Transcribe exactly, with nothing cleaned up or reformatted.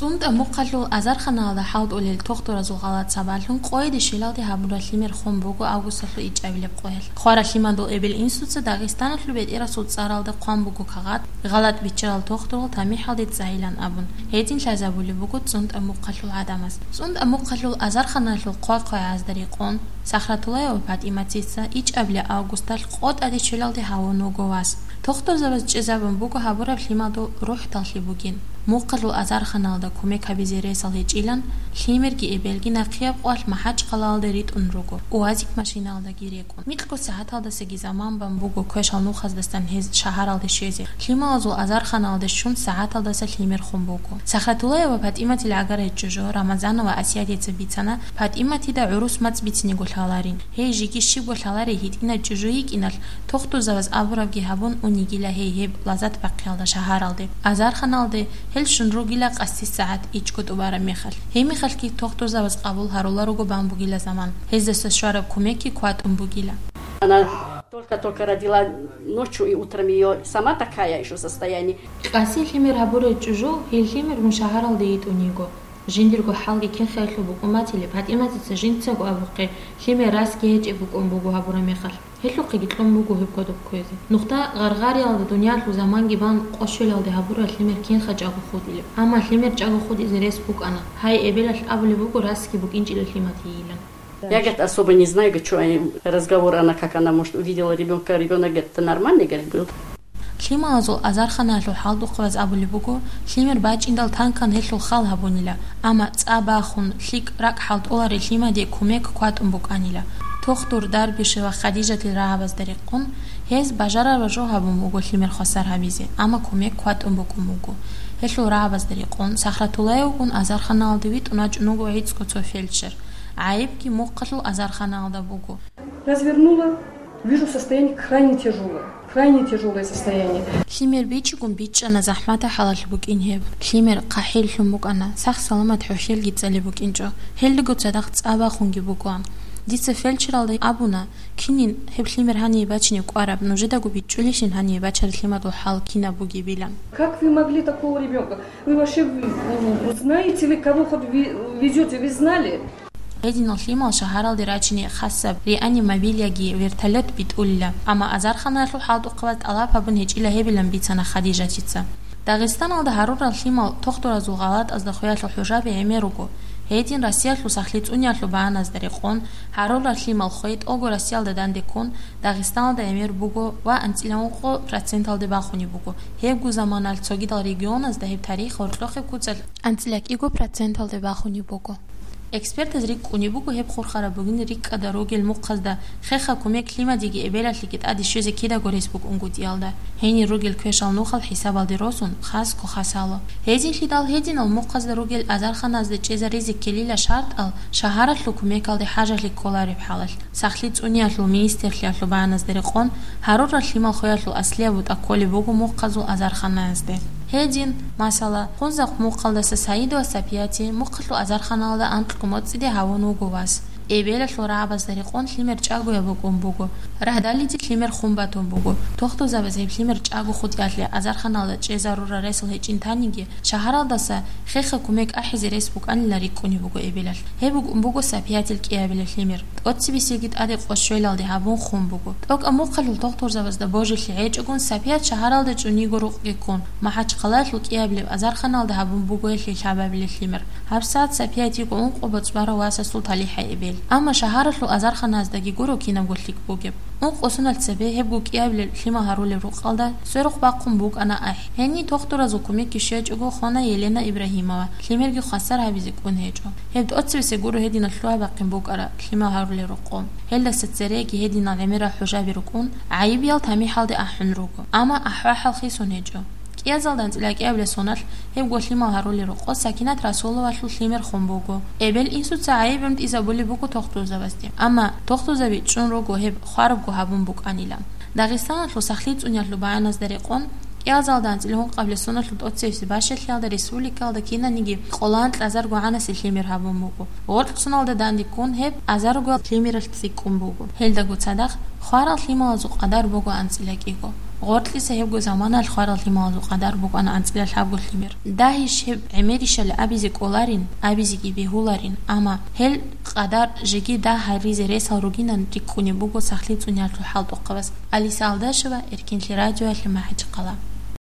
СунтӀа мухъалъул азарханалда хӀалтӀулел тухтуразул гъалат сабаблъун къойде щвелалде гьабураб лъимер хун буго августалъул ичӀабилеб къоялъ. Хварал лъимадул эбел-инсуца Дагъистаналъул бетӀерасул цӀаралда хъван буго кагъат, гъалат биччарал тухтурал тамихӀалде цӀайилан абун. Гьедин лъазабулеб буго цӀунтӀа мухъалъул гӀадамаз. ЦӀунтӀа мухъалъул азарханалъул хъвай-хъвайгӀазда рекъон, Сахратуллаева ПатӀиматица ичӀабилеб августалъ къо тӀаде щвелалде гьавун вуго вас. Тухтурзабаз чӀезабун буго гьабураб лъимадул рухӀдаллъи бугин. Мухъалъул азарханалда кумек гьабизе ресал гьечӀилан, лъимерги эбелги нахъияб къоялъ МахӀачхъалаялде ритӀун руго, УАЗик машинаялдаги рекӀун. Микьго сагӀаталдасаги заман бан буго квешал нухаздасан гьез шагьаралде щвезе. Лъималазул азарханалде щун сагӀаталдаса лъимер хун буго. Сахратуллаева ПатӀиматил гӀагарай чӀужу Рамазанова Асиятица бицана, ПатӀиматида гӀурус мацӀ бициниго лъаларин. Гьей жеги щибго лъаларей гьитӀинай чӀужу йикӀиналъ, тухтурзабаз абурабги гьабун унигила гьей гьеб лазат бахъиялда шагьаралде. Азарханалде гьел щун ругила къаси сагӀат ичӀго тӀубараб мехалъ. Гьеб мехалъги тухтурзабаз къабул гьаруларуго бан бугила заман. Гьездаса щвараб кумекги кватӀун бугила. Она только-только родила ночью и утром, её сама такая ещё состояние. Къаси лъимер гьабурай чӀужу, гьел лъимер мун шагьаралде йитӀун йиго. Жиндирго хӀалги кин-хиялъул букӀун батилеб, ПатӀиматица жинцаго абухъе, лъимер расги гьечӀеб букӀун буго гьабураб мехалъ. Гьелъухъеги кьун буго гьеб кодоб кквезе. Нухда гъаргъариялда дуниялъул заманги бан къо щвелалде гьабураб лъимер кинха чӀаго хутӀилеб. Амма лъимер чӀаго хутӀизе рес букӀана. Гьай, эбелалъ абулеб буго расги букӀинчӀила лъимадийилан. Я, говорит, особо не знаю, говорит, что они, разговор, она как, она, может, увидела ребёнка, ребёнок, говорит, нормальный, говорит, был. Лъималазул азарханаялъул хӀалтӀухъабаз абулеб буго, лъимер бачӀиндал танкан гьелъул хал гьабунила, амма цӀа бахун, лъикӀ ракӀ хӀалтӀуларел лъимаде кумек кватӀун букӀанила. Тухтур, Дарбишева, Хадижатил рагӀабазда рекъон, гьез бажарараб жо гьабун буго лъимер хвасар гьабизе, амма кумек кватӀун букӀун буго. Гьелъул рагӀабазда рекъон, Сахратуллаевгун азарханалде витӀун вачӀун вуго гӀицӀго цо фельдшер. ГӀайибги мухъалъул азарханалда буго. Развернула, вижу, состояние крайне тяжёлое. Крайне тяжёлое состояние. Лъимер бичӀчӀигун бичӀчӀана, захӀматаб хӀалалъ букӀин гьеб. Лъимер хъахӀиллъун букӀана, сах-саламат хӀухьелги цӀалеб букӀинчӀо. Гьелдаго цадахъ цӀа бахунги бугоан. Дица фельдшералда абуна, кинин гьеб лъимер гьание бачине кӀвараб, нужедаго бичӀчӀулищин гьание бачараб лъимадул хӀал кинаб бугебилан. Как вы могли такого ребёнка? Вы вообще, м, знаете ли, кого хоть ве-, везёте? Вы знали? Гьединал лъимал шагьаралде рачине хасаб реанимобиль яги вертолёт битӀулила, амма азарханаялъул хӀалтӀухъабаз тӀалаб гьабун гьечӀила гьебилан бицана Хадижатица. Дагъистаналда гьарурал лъимал тухтуразул гъалатӀазда хвеялъул хӀужаби гӀемер руго. Гьедин Россиялъул сахлъи цӀуниялъул багьаназда рекъон, гьарурал лъимал хвей тӀолго Россиялда данде ккун, Дагъистаналда гӀемер буго ва анцӀила ункъо проценталде бахунеб буго. Гьебго заманалъ цогидал регионазда гьеб тарих гьоркьохъеб куцалъ анцӀила кӀиго проценталде бахунеб буго. Экспертаз рикӀкӀунеб буго гьеб хурхараб бугин рикӀкӀада ругел мухъазда хеха кумек лъимадиги эбелалъеги тӀаде щвезе кидаго рес букӀунгутӀиялда, гьенир ругел квешал нухал хӀисабалде росун, хасго хасало. Гьезинлъидал гьединал мухъазда ругел азарханазда чӀезаризе ккелила шартӀал шагьаралъул кумекалде хӀажалъи кколареб хӀалалъ. Сахлъи цӀуниялъул министрлъиялъул багьаназда рекъон, гьарурал лъимал хвеялъул аслияб бутӀа кколеб буго мухъазул азарханаязде. Гьедин, масала, Хунзахъ мухъалдаса Саидова Сапияти мухъалъул азарханалда анкьго моцӀиде гьавун вуго вас. Эбелалъул рагӀабазда рекъон лъимер чӀагояб букӀун буго. Радалиде лъимер хун батун буго. Тухтурзабаз гьеб лъимер чӀаго хутӀиялъе азарханалда чӀезарурал ресал гьечӀин таниги, шагьаралдаса хеха кумек ахӀизе рес букӀанила рикӀкӀунеб буго эбелалъ. Гьеб букӀун буго Сапиятил кӀиабилеб лъимер. ТӀоцебесеги тӀаде къо щвелалде гьабун хун буго. ТӀокӀаб мухъалъул тухтурзабазда божилъи гьечӀогун Сапият шагьаралда чӀун йиго рукъги ккун, МахӀачхъалаялъул кӀиабилеб азарханалда гьабун буго гьелъие лъабабилеб лъимер. ГьабсагӀат Сапият йиго ункъо боцӀи барав васасул талихӀай эбел. Амма шагьаралъул азарханаздаги гуро кинабго лъикӀ бугеб. Ункъо соналъ цебе гьебго кӀиабилеб лъимал гьарулел рукъалда сверухъ бахъун букӀана ахӀи. Гьениб тухтуразул кумекги щвечӀого хвана Елена Ибрагьимова, лъимерги хвасар гьабизе кӀун гьечӀо. Гьеб тӀоцебесеб гуро гьединаб лъугьа-бахъин букӀараб лъимал гьарулел рокъоб. Гьелдаса цереги гьединал гӀемерал хӀужаби рукӀун, гӀайибиял тамихӀалде ахӀун руго. Амма ахӀвахӀал хисун гьечӀо. КӀиазалда анцӀила кӀиабилеб соналъ гьебго лъимал гьарулел рокъо Сакинат Расуловалъул лъимер хун буго. Эбел-инсуца гӀайиб гӀунтӀизабулеб буго тухтурзабазде. Амма тухтурзаби чӀун руго гьеб хварабго гьабун букӀанилан. Дагъистаналъул сахлъи цӀуниялъул багьаназда рекъон, кӀиазалда анцӀила гьункъабилеб соналъул тӀоцебесеб бащалъиялда республикалда кинаниги къоло анкьазарго гӀанаси лъимер гьабун буго. Гъоркьсуналда данде ккун гьеб азарго лъимералъ цӀикӀкӀун буго. Гьелдаго цадахъ хварал лъималазул къадар буго анцӀила кӀиго. Гъоркьиса гьебго заманалъ хварал лъималазул къадар букӀана анцӀила лъабго лъимер. Дагьищ гьеб гӀемерищали абизе кӀоларин, абизеги бегьуларин, амма гьел къадар жеги дагь гьаризе ресал ругинан рикӀкӀунеб буго сахлъи цӀуниялъул хӀалтӀухъабаз. Алиса Алдашева, Эркинлъи радиоялъе, МахӀачхъала.